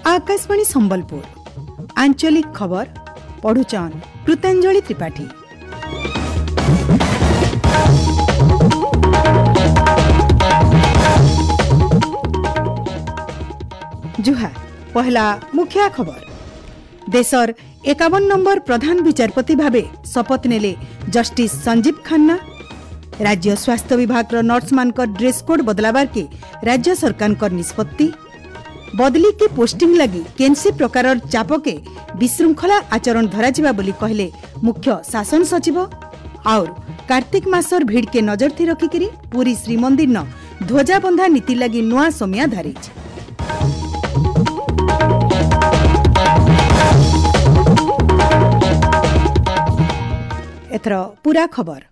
Akashvani Sambalpur आंचलिक खबर पढुचन कृतांजलि त्रिपाठी। जुहार पहला मुख्य खबर। देशर 51 नंबर प्रधान विचारपति भावे शपथ नेले जस्टिस संजीव खन्ना। राज्य स्वास्थ्य विभाग नर्स मानकर ड्रेस कोड बदलाबार के राज्य सरकार निष्पत्ति। बदली के पोस्टिंग लगी केनसी प्रकार चापके विशृंखला आचरण धराजिबा बोली कहले मुख्य शासन सचिव। और कार्तिक मासर भीड़ के नजर थी रखिकिरी पुरी श्रीमंदिर न ध्वजाबंधा नीति लगी नुआ समिया धारिछ। एथर पूरा खबर।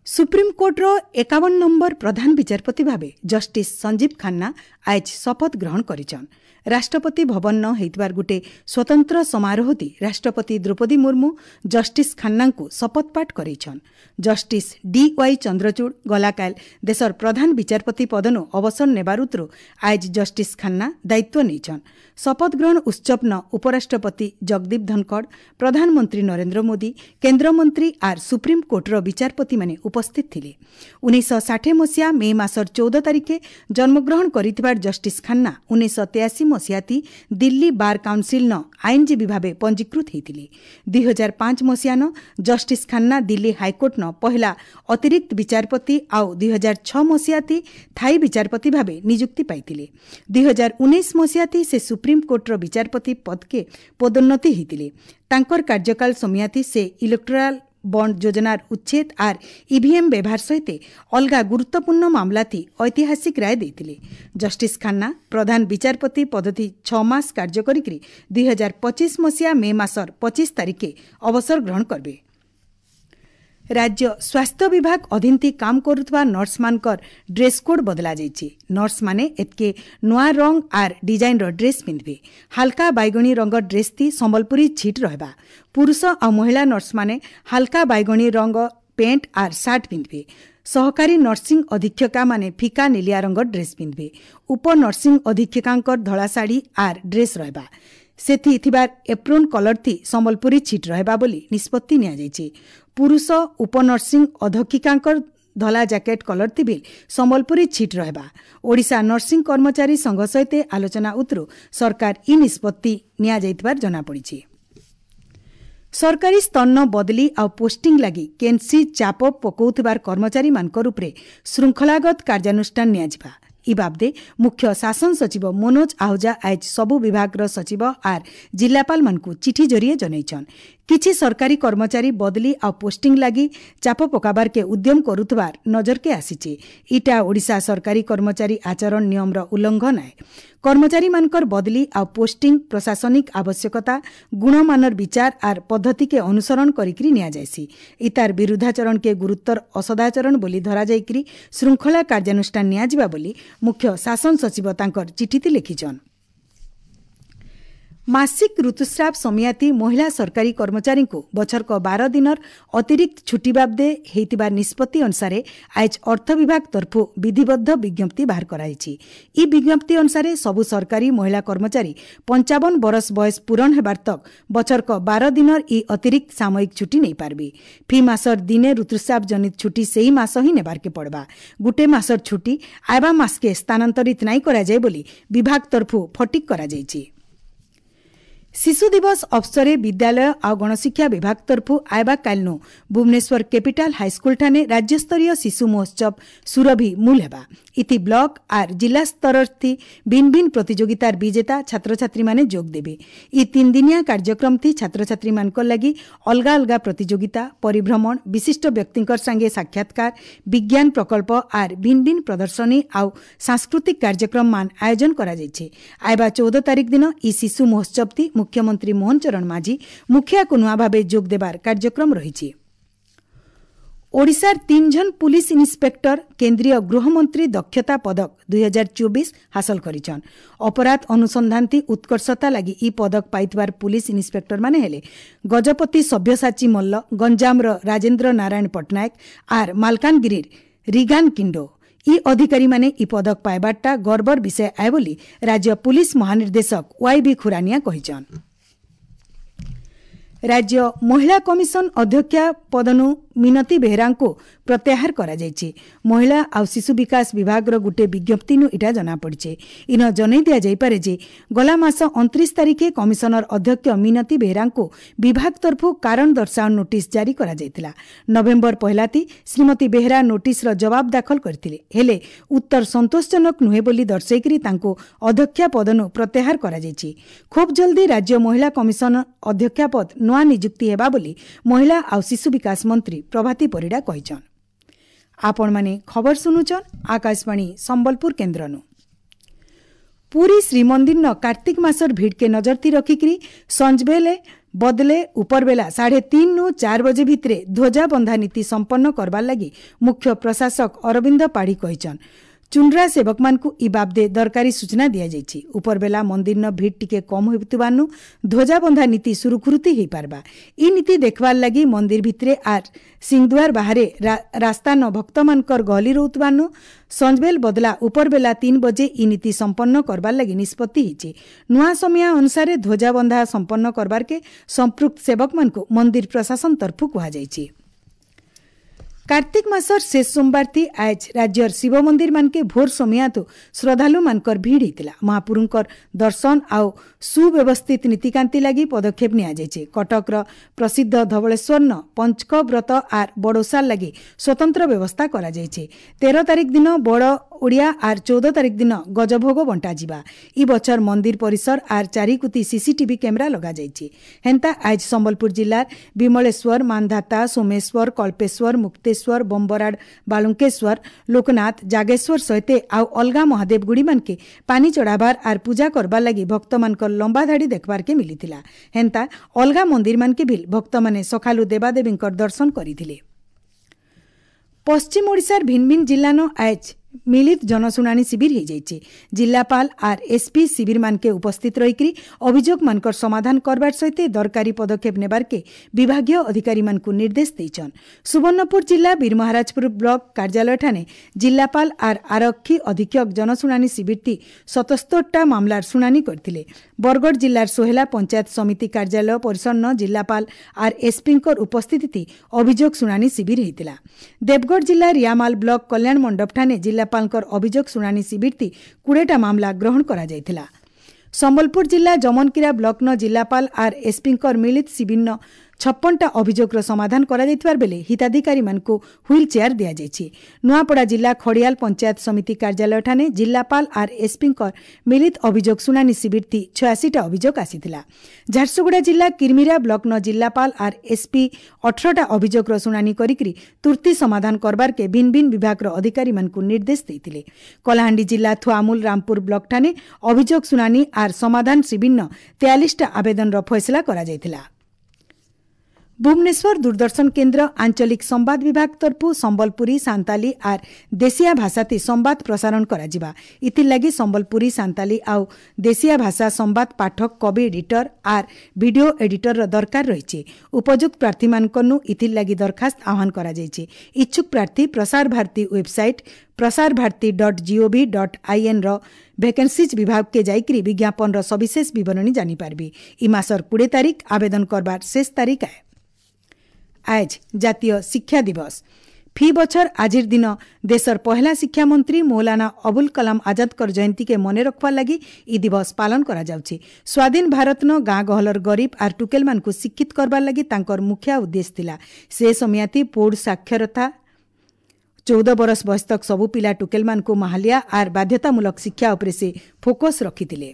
सुप्रीमकोर्टर 51 नंबर प्रधान विचारपति भावे जस्टिस संजीव खन्ना आज शपथ ग्रहण करिछन। राष्ट्रपति भवन न हेतवार गुटे स्वतंत्र समारोहति राष्ट्रपति द्रौपदी मुर्मू जस्टिस खन्ना शपथ पाठ करेछन। जस्टिस डी वाई चंद्रचूड़ गलाकाल देशर प्रधान विचारपति पदनु अवसर नेबार उतरु आज जस्टिस खन्ना दायित्व नेछन। शपथ ग्रहण उत्सव न उपराष्ट्रपति जगदीप धनखड़, प्रधानमंत्री नरेंद्र मोदी, केन्द्रमंत्री are supreme कोर्टर विचारपति माने उपस्थित थिले। 1960 मसीहा मे मासर 14 तारीखे जन्मग्रहण करिथिबार जस्टिस खन्ना 1983 मसीहाती दिल्ली बार काउनसिल न आईनजीवी भावे पंजीकृत होइथिले। 2005 मसीहा न जस्टिस खन्ना दिल्ली हाईकोर्ट न पहला अतिरिक्त विचारपति आउ 2006 मसीहाती थाई विचारपति भावे नियुक्ति पाइथिले। 2019 मसीहाती से सुप्रीम कोर्टर विचारपति पद के पदोन्नति होइथिले। तांकर कार्यकाल समयाती से इलेक्टोराल बंड योजनार उच्छेद are EVM व्यवहार सहित अलगा गुरुत्वपूर्ण मामलाती ऐतिहासिक राय देइथिले। जस्टिस खन्ना प्रधान विचारपति पद्धति 6 मास कार्य करिकरी 2025 मसीहा मे मासर 25 तारीखे अवसर ग्रहण करबे। राज्य स्वास्थ्य विभाग अधीनती काम करुଥିବା नर्स मानकर ड्रेस कोड बदला जाइଛି। नर्स माने एतके नुआ रंग are design row dress पिंधबे। हालका बैगनी रंग ड्रेस ती संबलपुरी छीट रहबा। पुरुष आ महिला नर्स माने हालका बैगनी रंग पेंट are shirt पिंधबे। सहकारी नर्सिंग अधीक्षका माने फीका नीलिया रंग ड्रेस पिंधबे। उप नर्सिंग अधीक्षकांकर धळा साड़ी are dress रहबा। सेथि थिबार एप्रोन कलर थी संबलपुरी छीट रहबा बोली निष्पत्ति निया। पुरुष उप नर्सिंग अध्यक्षिकांकर धला जैकेट कलर थी संबलपुरी छीट रहबा। ओडिशा नर्सिंग कर्मचारी संघ सहित आलोचना उतरु सरकार इ निष्पत्ति निया जनापड़िଛି। सरकारी स्तर बदली आ पोस्टिंग लगी केनसी चाप पकौथिबार कर्मचारी मानकर उपरे शृंखलागत कार्यानुष्ठान नियाजिबा। इ बाबदे मुख्य शासन सचिव मनोज आहूजा आज सबु विभागर सचिव are जिल्लापाल मानकु चिठी जरिए जनैछन। किछि सरकारी कर्मचारी बदली आ पोस्टिंग लागि चाप पकाबार के उद्यम करुतबार नजर के आसीचे। इटा ओडिशा सरकारी कर्मचारी आचरण नियम र उल्लंघन आए। कर्मचारी मानकर बदली आ पोस्टिंग प्रशासनिक आवश्यकता गुणमानर विचार are पद्धति के अनुसरण करिकरी निया जायसी। इतार विरुद्धाचरण के गुरुत्तर असदाचरण बोली धरा जाइकरी शृंखला कार्यानुष्ठान नियाजिबा बोली मुख्य शासन सचिव तांकर चिठीति लिखिछन। मासिक ऋतुस्राव समियाती महिला सरकारी कर्मचारी को बछरक 12 दिनर अतिरिक्त छुट्टी बाबदे हेतिबा निष्पत्ति अनुसार आज अर्थ विभाग तरफु विधिबद्ध विज्ञप्ति बाहर कराइछि। इ विज्ञप्ति अनुसार सबु सरकारी महिला कर्मचारी 55 बरस बयस पूरण हेबार तक बछरक 12 दिनर इ अतिरिक्त सामयिक छुट्टी नै पारबे। फी मासर दिने ऋतुस्राव जनित छुट्टी सेही मास ही नेबार के पड़बा। गुटे मासर छुट्टी आबा मास के स्थानांतरित नाई करा जाय बोली विभाग तरफु फटिक करा जाइछि। शिशु दिवस अवसरे विद्यालय आ गणशिक्षा विभाग तरफु आयबा कालनु भुवनेश्वर कैपिटल हाईस्कूल ठाने राज्यस्तरीय शिशु महोत्सव सुरभि मूल हेबा। इति ब्लक are जिला स्तर थी भिन्न भिन्न प्रतियोगितार विजेता छात्रछात्री माने जोग देवे। इ 3 दिनिया कार्यक्रम थी छात्रछात्री मानकर लागि अलगा अलगा प्रतियोगिता, परिभ्रमण, विशिष्ट व्यक्तिंकर संगे साक्षात्कार, विज्ञान प्रकल्प are भिन्न भिन्न प्रदर्शनी आउ सांस्कृतिक कार्यक्रम मान आयोजन करा जाइछे। आयबा 14 तारीख दिन इ शिशु महोत्सव थी मुख्यमंत्री मोहन चरण माझी मुखिया कुनुआ भावे जोग देबार कार्यक्रम रहिछि। ଓଡ଼ିଶାର 3 ଜଣ ପୁଲିସ ଇନ୍ସପେକ୍ଟର କେନ୍ଦ୍ରୀୟ ଗୃହମନ୍ତ୍ରୀ ଦକ୍ଷତା ପଦକ 2024 ହାସଲ କରିଛନ୍। ଅପରାଧ ଅନୁସନ୍ଧାନତି ଉତ୍କର୍ଷତା ଲାଗି ଇ ପଦକ ପାଇଥିବାର ପୁଲିସ ଇନ୍ସପେକ୍ଟରମାନେ ହେଲେ ଗଜପତି ସବ୍ୟସାଚୀ ମଲ୍ଲ, ଗଞ୍ଜାମର ରାଜେନ୍ଦ୍ର ନାରାୟଣ ପଟ୍ଟନାୟକ ଆର୍ ମାଲକାନଗିରିର ରିଗାନ କିଣ୍ଡୋ। ଇ ଅଧିକାରୀମାନେ ଇ ପଦକ ପାଇବାରଟା ଗର୍ବର ବିଷୟ ଆଏ ବୋଲି ରାଜ୍ୟ ପୁଲିସ ମହାନିର୍ଦ୍ଦେଶକ ୱାଇ ବି ଖୁରାନିଆ କହିଛନ୍। ରାଜ୍ୟ ମହିଳା କମିଶନ ଅଧ୍ୟକ୍ଷା ପଦନୁ ମିନତୀ ବେହେରାଙ୍କୁ ପ୍ରତ୍ୟାହାର କରାଯାଇଛି। ମହିଳା ଆଉ ଶିଶୁ ବିକାଶ ବିଭାଗର ଗୋଟିଏ ବିଜ୍ଞପ୍ତିନୁ ଇଟା ଜଣାପଡ଼ିছে। ଇନ ଜଣାଇ ଦିଆଯାଇପାରେ ଯେ ଗଲା ମାସ 29 ତାରିଖେ କମିଶନର ଅଧ୍ୟକ୍ଷ ମିନତୀ ବେହେରାଙ୍କୁ ବିଭାଗ ତରଫରୁ କାରଣ ଦର୍ଶାଅ ନୋଟିସ୍ ଜାରି କରାଯାଇଥିଲା। ନଭେମ୍ବର 1 ଶ୍ରୀମତୀ ବେହେରା ନୋଟିସ୍ର ଜବାବ ଦାଖଲ କରିଥିଲେ, ହେଲେ ଉତ୍ତର ସନ୍ତୋଷଜନକ ନୁହେଁ ବୋଲି ଦର୍ଶାଇକରି ତାଙ୍କୁ ଅଧ୍ୟକ୍ଷା ପଦନୁ ପ୍ରତ୍ୟାହାର କରାଯାଇଛି। ଖୁବ୍ ଜଲ୍ଦି ରାଜ୍ୟ ମହିଳା କମିଶନ ଅଧ୍ୟକ୍ଷା ପଦ ନୂଆ ନିଯୁକ୍ତି ହେବା ବୋଲି ମହିଳା ଆଉ ଶିଶୁ ବିକାଶ ମନ୍ତ୍ରୀ ପ୍ରଭାତୀ ପରିଡ଼ା କହିଛନ୍। ଆପଣମାନେ ଖବର ଶୁଣୁଛନ୍ ଆକାଶବାଣୀ ସମ୍ବଲପୁର କେନ୍ଦ୍ରନୁ। ପୁରୀ ଶ୍ରୀମନ୍ଦିରନ କାର୍ତ୍ତିକ ମାସର ଭିଡ଼କେ ନଜରତି ରଖିକିରି ସଞ୍ଜବେଲେ ବଦଲେ ଉପରବେଲା 3:30 4 ବଜେ ଭିତରେ ଧ୍ୱଜାବନ୍ଧା ନୀତି ସମ୍ପନ୍ନ କରବାର୍ ଲାଗି ମୁଖ୍ୟ ପ୍ରଶାସକ ଅରବିନ୍ଦ ପାଢ଼ୀ କହିଛନ୍। ଚୁଣ୍ଡ୍ରା ସେବକମାନଙ୍କୁ ଇ ବାବଦେ ଦରକାରୀ ସୂଚନା ଦିଆଯାଇଛି। ଉପରବେଲା ମନ୍ଦିରନ ଭିଡ଼ ଟିକେ କମ୍ ହେଉଥିବାରୁ ଧ୍ୱଜାବନ୍ଧା ନୀତି ସୁରୁଖୁରୁତି ହେଇପାରବା। ଇ ନୀତି ଦେଖବାର୍ ଲାଗି ମନ୍ଦିର ଭିତରେ ଆର୍ ସିଂହଦ୍ୱାର ବାହାରେ ରାସ୍ତାନ ଭକ୍ତମାନଙ୍କର ଗହଲି ରହୁଥିବାରୁ ସଞ୍ଜବେଲ ବଦଲା ଉପରବେଲା 3 ବଜେ ଇ ନୀତି ସମ୍ପନ୍ନ କରବାର୍ ଲାଗି ନିଷ୍ପତ୍ତି ହେଇଛି। ନୂଆ ସମୟ ଅନୁସାରେ ଧ୍ୱଜାବନ୍ଧା ସମ୍ପନ୍ନ କରବାର୍କେ ସମ୍ପୃକ୍ତ ସେବକମାନଙ୍କୁ ମନ୍ଦିର ପ୍ରଶାସନ ତରଫରୁ କୁହାଯାଇଛି। କାର୍ତ୍ତିକ ମାସର ଶେଷ ସୋମବାରଥି ଆଜ୍ ରାଜ୍ୟର ଶିବ ମନ୍ଦିର ମାନକେ ଭୋର ସମିଆତୁ ଶ୍ରଦ୍ଧାଳୁମାନଙ୍କର ଭିଡ଼ ହେଇଥିଲା। ମହାପୁରୁଙ୍କର ଦର୍ଶନ ଆଉ ସୁବ୍ୟବସ୍ଥିତ ନୀତିକାନ୍ତି ଲାଗି ପଦକ୍ଷେପ ନିଆଯାଇଛି। କଟକର ପ୍ରସିଦ୍ଧ ଧବଳେଶ୍ୱରନ ପଞ୍ଚକ ବ୍ରତ ଆର୍ ବଡ଼ୋସାର ଲାଗି ସ୍ୱତନ୍ତ୍ର ବ୍ୟବସ୍ଥା କରାଯାଇଛି। 13 ତାରିଖ ଦିନ ବଡ଼ ଓଡ଼ିଆ ଆର୍ 14 ତାରିଖ ଦିନ ଗଜଭୋଗ ବଣ୍ଟାଯିବା। ଇ ବଛର ମନ୍ଦିର ପରିସର ଆର୍ ଚାରିକୁତି ସିସିଟିଭି କ୍ୟାମେରା ଲଗାଯାଇଛି। ହେନ୍ତା ଆଜ୍ ସମ୍ବଲପୁର ଜିଲ୍ଲାର ବିମଳେଶ୍ୱର, ମାନ୍ଧାତା, ସୋମେଶ୍ୱର, କଳ୍ପେଶ୍ୱର, ମୁକ୍ତେଶ୍ୱର, ବମ୍ବରାଡ଼, ବାଲୁଙ୍କେଶ୍ୱର, ଲୋକନାଥ, ଜାଗେଶ୍ୱର ସହିତ ଆଉ ଅଲଗା ମହାଦେବ ଗୁଡ଼ିମାନକେ ପାନି ଚଢ଼ାବାର ଆର୍ ପୂଜା କରବାର୍ ଲାଗି ଭକ୍ତମାନଙ୍କର ଲମ୍ବା ଧାଡ଼ି ଦେଖବାର୍କେ ମିଳିଥିଲା। ହେନ୍ତା ଅଲଗା ମନ୍ଦିରମାନକେ ବି ଭକ୍ତମାନେ ସକାଳୁ ଦେବାଦେବୀଙ୍କର ଦର୍ଶନ କରିଥିଲେ। ପଶ୍ଚିମ ଓଡ଼ିଶାର ଭିନ୍ନ ଭିନ୍ନ ଜିଲ୍ଲାନ ଆଜ୍ ମିଳିତ ଜନଶୁଣାଣି ଶିବିର ହେଇଯାଇଛି। ଜିଲ୍ଲାପାଳ ଆର୍ ଏସ୍ପି ଶିବିରମାନକେ ଉପସ୍ଥିତ ରହିକରି ଅଭିଯୋଗମାନଙ୍କର ସମାଧାନ କରବାର ସହିତ ଦରକାରୀ ପଦକ୍ଷେପ ନେବାର୍କେ ବିଭାଗୀୟ ଅଧିକାରୀମାନଙ୍କୁ ନିର୍ଦ୍ଦେଶ ଦେଇଛନ୍। ସୁବର୍ଣ୍ଣପୁର ଜିଲ୍ଲା ବୀରମହାରାଜପୁର ବ୍ଲକ କାର୍ଯ୍ୟାଳୟଠାନେ ଜିଲ୍ଲାପାଳ ଆର୍ ଆରକ୍ଷୀ ଅଧୀକ୍ଷକ ଜନଶୁଣାଣି ଶିବିରଟି 77ଟା ମାମଲାର ଶୁଣାଣି କରିଥିଲେ। ବରଗଡ଼ ଜିଲ୍ଲାର ସୋହେଲା ପଞ୍ଚାୟତ ସମିତି କାର୍ଯ୍ୟାଳୟ ପରିସରନ ଜିଲ୍ଲାପାଳ ଆର୍ ଏସ୍ପିଙ୍କର ଉପସ୍ଥିତି ଅଭିଯୋଗ ଶୁଣାଣି ଶିବିର ହେଇଥିଲା। ଦେବଗଡ଼ ଜିଲ୍ଲା ରିଆମାଲ ବ୍ଲକ କଲ୍ୟାଣ ମଣ୍ଡପଠାନେ ଜିଲ୍ଲାପାଳଙ୍କର ଅଭିଯୋଗ ଶୁଣାଣି ଶିବିରଟି 20ଟା ମାମଲା ଗ୍ରହଣ କରାଯାଇଥିଲା। ସମ୍ବଲପୁର ଜିଲ୍ଲା ଜମନକିରା ବ୍ଲକନ ଜିଲ୍ଲାପାଳ ଆର୍ ଏସ୍ପିଙ୍କର ମିଳିତ ଶିବିରନ 56ଟା ଅଭିଯୋଗର ସମାଧାନ କରାଯାଇଥିବା ବେଳେ ହିତାଧିକାରୀମାନଙ୍କୁ ହ୍ୱିଲ୍ ଚେୟାର ଦିଆଯାଇଛି। ନୂଆପଡ଼ା ଜିଲ୍ଲା ଖଡ଼ିଆଲ ପଞ୍ଚାୟତ ସମିତି କାର୍ଯ୍ୟାଳୟଠାନେ ଜିଲ୍ଲାପାଳ ଆର୍ ଏସ୍ପିଙ୍କର ମିଳିତ ଅଭିଯୋଗ ଶୁଣାଣି ଶିବିରଟି 86ଟା ଅଭିଯୋଗ ଆସିଥିଲା। ଝାରସୁଗୁଡ଼ା ଜିଲ୍ଲା କିର୍ମିରା ବ୍ଲକନ ଜିଲ୍ଲାପାଳ ଆର୍ ଏସ୍ପି 18ଟା ଅଭିଯୋଗର ଶୁଣାଣି କରିକି ତୁର୍ତ୍ତି ସମାଧାନ କରବାର୍କେ ଭିନ୍ନ ଭିନ୍ନ ବିଭାଗର ଅଧିକାରୀମାନଙ୍କୁ ନିର୍ଦ୍ଦେଶ ଦେଇଥିଲେ। କଳାହାଣ୍ଡି ଜିଲ୍ଲା ଥୁଆମୁଲ ରାମପୁର ବ୍ଲକଠାନେ ଅଭିଯୋଗ ଶୁଣାଣି ଆର୍ ସମାଧାନ ଶିବିରନ 43ଟା ଆବେଦନର ଫଇସଲା କରାଯାଇଥିଲା। ଭୁବନେଶ୍ୱର ଦୂରଦର୍ଶନ କେନ୍ଦ୍ର ଆଞ୍ଚଳିକ ସମ୍ବାଦ ବିଭାଗ ତରଫୁ ସମ୍ବଲପୁରୀ, ସାନ୍ତାଲି ଆର୍ ଦେଶିଆ ଭାଷାତି ସମ୍ବାଦ ପ୍ରସାରଣ କରାଯିବା। ଇଥିର୍ଲାଗି ସମ୍ବଲପୁରୀ, ସାନ୍ତାଲି ଆଉ ଦେଶିଆ ଭାଷା ସମ୍ବାଦ ପାଠକ, କବି ଏଡିଟର ଆର୍ ଭିଡିଓ ଏଡିଟରର ଦରକାର ରହିଛି। ଉପଯୁକ୍ତ ପ୍ରାର୍ଥୀମାନଙ୍କନୁ ଇଥିର୍ଲାଗି ଦରଖାସ୍ତ ଆହ୍ୱାନ କରାଯାଇଛି। ଇଚ୍ଛୁକ ପ୍ରାର୍ଥୀ ପ୍ରସାର ଭାରତୀ ୱେବସାଇଟ୍ prasarbharati.gov.in ର ଭେକେନ୍ସିଜ୍ ବିଭାଗକେ ଯାଇକରି ବିଜ୍ଞାପନର ସବିଶେଷ ବିବରଣୀ ଜାଣିପାରିବେ। ଇ ମାସର 20 ତାରିଖ ଆବେଦନ କରବାର ଶେଷ ତାରିଖ ଆଏ। ଆଜ୍ ଜାତୀୟ ଶିକ୍ଷା ଦିବସ। ଫି ବଛର ଆଜିର ଦିନ ଦେଶର ପହଲା ଶିକ୍ଷାମନ୍ତ୍ରୀ ମୌଲାନା ଅବୁଲ କଲାମ ଆଜାଦଙ୍କର ଜୟନ୍ତୀକେ ମନେ ରଖବାର୍ ଲାଗି ଇ ଦିବସ ପାଳନ କରାଯାଉଛି। ସ୍ୱାଧୀନ ଭାରତନ ଗାଁ ଗହଲର ଗରିବ ଆର୍ ଟୁକେଲମାନଙ୍କୁ ଶିକ୍ଷିତ କରବାର୍ ଲାଗି ତାଙ୍କର ମୁଖ୍ୟ ଉଦ୍ଦେଶ୍ୟ ଥିଲା। ସେ ସମୟାତି ପୌଢ଼ ସାକ୍ଷରତା 14 ବରଷ ବୟସ ତକ ସବୁ ପିଲା ଟୁକେଲମାନଙ୍କୁ ମାହାଲିଆ ଆର୍ ବାଧ୍ୟତାମୂଳକ ଶିକ୍ଷା ଉପରେ ସେ ଫୋକସ୍ ରଖିଥିଲେ।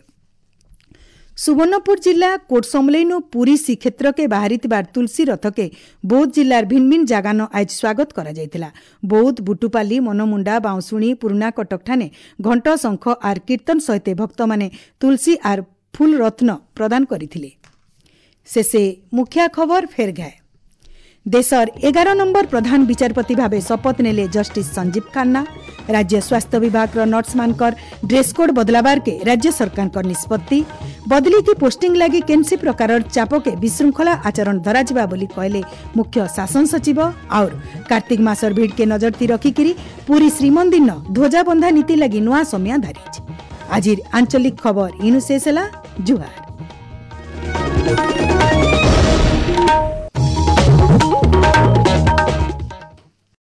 ସୁବର୍ଣ୍ଣପୁର ଜିଲ୍ଲା କୋଟସମଲେଇନୁ ପୁରୀ ଶ୍ରୀକ୍ଷେତ୍ରକେ ବାହାରିଥିବା ତୁଳସୀ ରଥକେ ବୌଦ୍ଧ ଜିଲ୍ଲାର ଭିନ୍ନ ଭିନ୍ନ ଜାଗାନ ଆଜ ସ୍ୱାଗତ କରାଯାଇଥିଲା। ବୌଦ୍ଧ, ବୁଟୁପାଲି, ମନମୁଣ୍ଡା, ବାଉଁଶୁଣୀ, ପୁରୁଣା କଟକଠାନେ ଘଣ୍ଟ, ଶଙ୍ଖ ଆର୍ କୀର୍ତ୍ତନ ସହିତ ଭକ୍ତମାନେ ତୁଳସୀ ଆର୍ ଫୁଲ ରତ୍ନ ପ୍ରଦାନ କରିଥିଲେ। ଶେଷେ ମୁଖିଆ ଖବର ଫେର ଘାଏ। ଦେଶର 11 ନମ୍ବର ପ୍ରଧାନ ବିଚାରପତି ଭାବେ ଶପଥ ନେଲେ ଜଷ୍ଟିସ୍ ସଞ୍ଜୀବ ଖାନ୍ନା। ରାଜ୍ୟ ସ୍ୱାସ୍ଥ୍ୟ ବିଭାଗର ନର୍ସମାନଙ୍କର ଡ୍ରେସ୍କୋଡ୍ ବଦଲାବାରକେ ରାଜ୍ୟ ସରକାରଙ୍କ ନିଷ୍ପତ୍ତି। ବଦଲି କି ପୋଷ୍ଟିଂ ଲାଗି କେନ୍ସି ପ୍ରକାରର ଚାପକେ ବିଶୃଙ୍ଖଳା ଆଚରଣ ଧରାଯିବା ବୋଲି କହିଲେ ମୁଖ୍ୟ ଶାସନ ସଚିବ। ଆଉର କାର୍ତ୍ତିକ ମାସର ଭିଡ଼କେ ନଜରତି ରଖିକିରି ପୁରୀ ଶ୍ରୀମନ୍ଦିର ଧ୍ୱଜାବନ୍ଧା ନୀତି ଲାଗି ନୂଆ ସମୟ ଧାରିଛି। ଆଜିର ଆଞ୍ଚଳିକ ଖବର ଇନୁ ଶେଷ ହେଲା। ଜୁହାର।